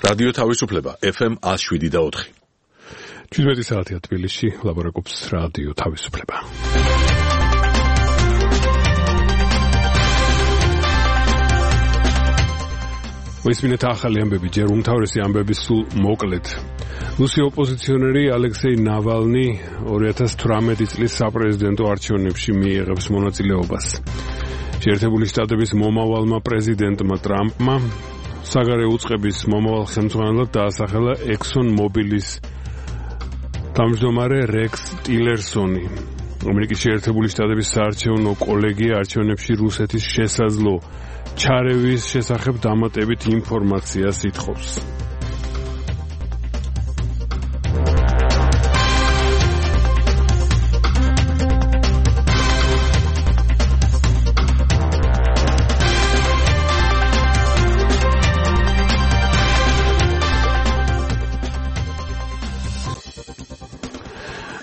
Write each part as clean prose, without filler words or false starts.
რადიო თავისუფლება FM 107.4. 17 საათია თბილისში, ლაპარაკობს რადიო თავისუფლება. მოისმინეთ ახალი ამბები, ჯერ უმთავრესი ამბები სულ მოკლედ. რუსი ოპოზიციონერი ალექსეი ნავალნი 2018 წლის საპრეზიდენტო არჩევნებში მიიღებს მონაწილეობას. შეერთებული შტატების მომავალმა პრეზიდენტმა ტრამპმა საგარეო უწყების მომავალ ხელმძღვანელად დაასახელა Exxon Mobilis თავმჯდომარე რექს ტილერსონი. ამერიკის შეერთებული შტატების საარჩევნო კოლეგია არჩევნებში რუსეთის შესაძლო ჩარევის შესახებ დამატებით ინფორმაციას ითხოვს.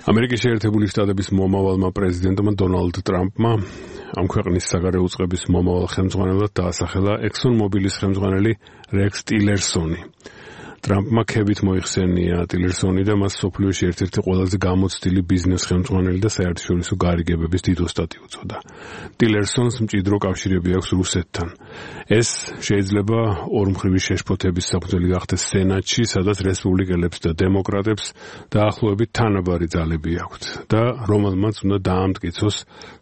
ამერიკის შეერთებული შტატების მომავალმა პრეზიდენტმა დონალდ ტრამპმა ამ ქვეყნის საგარეო უწყების მომავალ ხელმძღვანელად დაასახელა Exxon Mobilis ხელმძღვანელი რექს ტილერსონი. ტრამპმა ქებით მოიხსენია ტილერსონი და მას სოფლიოში ერთ-ერთი ყველაზე გამოცდილი ბიზნეს ხელმძღვანელი და საერთაშორისო გარიგებების დიდ ოსტატი უწოდა. ტილერსონს მჭიდრო კავშირები აქვს რუსეთთან. ეს შეიძლება ორმხრივი შეშფოთების საფუძველი გახდეს სენატში, სადაც რესპუბლიკელებს და დემოკრატებს დაახლოებით თანაბარი ძალები აქვთ და რომელმაც უნდა დაამტკიცოს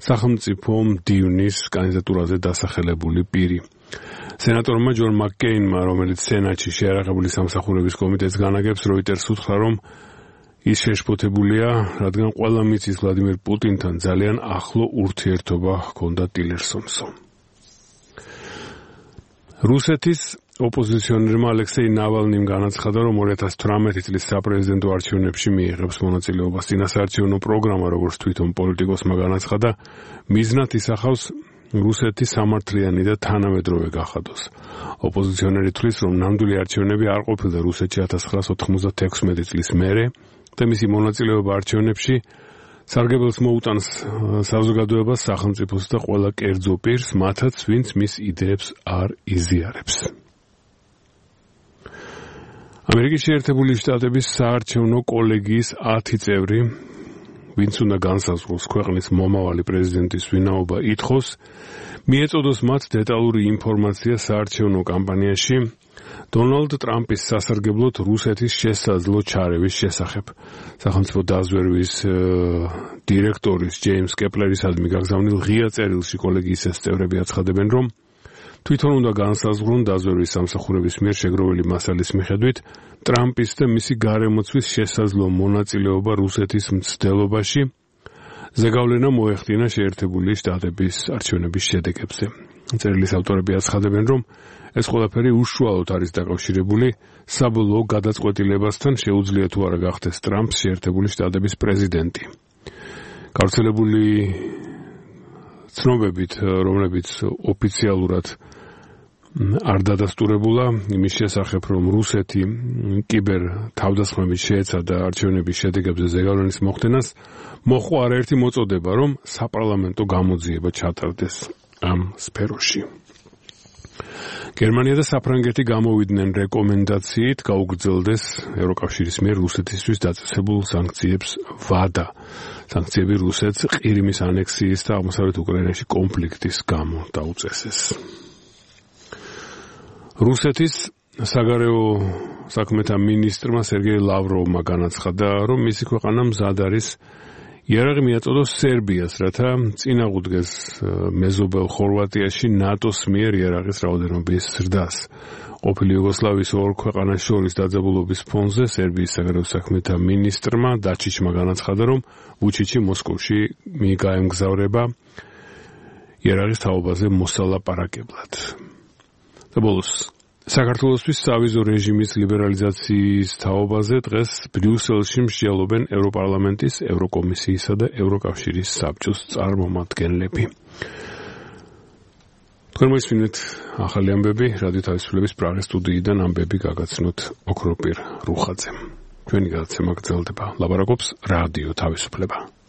სახელმწიფო მდივნის კანდიდატურაზე დასახელებული პირი. სენატორმა ჯონ მაკკეინმა, რომელიც სენატში შეიარაღებული სამსახურების კომიტეტს განაგებს, როიტერს უთხრა, რომ ის შეშფოთებულია, რადგან ყველა მიცის ვლადიმერ პუტინთან ძალიან ახლო ურთიერთობა ჰქონდა ტილერსონსო. რუსეთის ოპოზიციონერმა ალექსეი ნავალნიმ განაცხადა, რომ 2018 წლის საპრეზიდენტო არჩევნებში მიიღებს მონაწილეობას. წინასაარჩევნო პროგრამა, როგორც თვითონ პოლიტიკოსმა განაცხადა, მიზნად ისახავს რუსეთის სამართლიანი და თანამედროვე გახადოს. ოპოზიციონერი თვლის, რომ ნამდვილი არჩევნები არ ყოფილდა რუსეთში 1996 წლის მერე და მისი მონაწილეობა არჩევნებში სარგებელს მოუტანს საზოგადოებას, სახელმწიფოს და ყველა კერძო პირს, მათაც ვინც მის იდეებს არ იზიარებს. ამერიკის შეერთებული შტატების საარჩევნო კოლეგიის 10 წევრი, ვინც უნდა განსაზღვროს ქვეყნის მომავალი პრეზიდენტის ვინაობა, ითხოვს მიეწოდოს მათ დეტალური ინფორმაცია საარჩევნო კამპანიაში დონალდ ტრამპის სასარგებლოდ რუსეთის შესაძლო ჩარევის შესახებ. სახელმწიფო დაზვერვის დირექტორის ჯეიმს კეპლერისადმი გაგზავნილ ღია წერილში კოლეგიის ეს წევრები აცხადებენ, რომ თვითონ უნდა განსაზღვრონ დაზვერვის სამსახურების მიერ შეგროვილი მასალის მიხედვით ტრამპის და მისი გარემოცვის შესაძლო მონაწილეობა რუსეთის მცდელობაში. ზეგავლენა მოეხდინა შეერთებული შტატების არჩევნების შედეგებზე. წერილის ავტორები აცხადებენ, რომ ეს ყველაფერი უშუალოდ არის დაკავშირებული საბოლოო გადაწყვეტილებასთან, შეუძლია თუ არა გახდეს ტრამპს შეერთებული შტატების პრეზიდენტი. გავრცელებული ცნობებით, რომლებიც ოფიციალურად არ დადასტურებულა იმის შესახებ, რომ რუსეთი კიბერ თავდასხმებით შეეცადა არჩევნების შედეგებზე ზეგავლენის მოხდენას, მოჰყვა არაერთი მოწოდება, რომ საპარლამენტო გამოძიება ჩატარდეს ამ სფეროში. გერმანია და საფრანგეთი გამოვიდნენ რეკომენდაციით გაუგრძელდეს ევროკავშირის მიერ რუსეთისთვის დაწესებულ სანქციებს ვადა. სანქციები რუსეთს ყირიმის ანექსიის და აღმოსავლეთ უკრაინაში კონფლიქტის გამო დაუწესეს. რუსეთის საგარეო საქმეთა მინისტრმა სერგეი ლავროვმა განაცხადა, რომ მისი ქვეყანა მზად არის იარაღი მიაწოდოს სერბიას, რათა წინააღმდეგეს მეზობელ ხორვატიაში ნატოს მიერ იარაღის რაოდენობის ზრდას. ყოფილი იუგოსლავიის ორ ქვეყანას შორის დაძაბულობის ფონზე სერბიის საგარეო საქმეთა მინისტრმა დაჩიჩმა განაცხადა, რომ ვუჩიჩი მოსკოვში მიიგაემგზავრება იარაღის თაობაზე მოსალაპარაკებლად. და ბოლოს საქართველოსთვის სავიზო რეჟიმის ლიბერალიზაციის თაობაზე დღეს ბრიუსელში მსჯელობენ ევროპარლამენტის, ევროკომისიისა და ევროკავშირის საბჭოს წარმომადგენლები. თქვენ მოისმინეთ ახალი ამბები რადიო თავისუფლების პრაღის სტუდიიდან, ამბები გაგაცნოთ ოქროპირ რუხაძემ. ჩვენი გადაცემა გრძელდება. ლაპარაკობს რადიო თავისუფლება.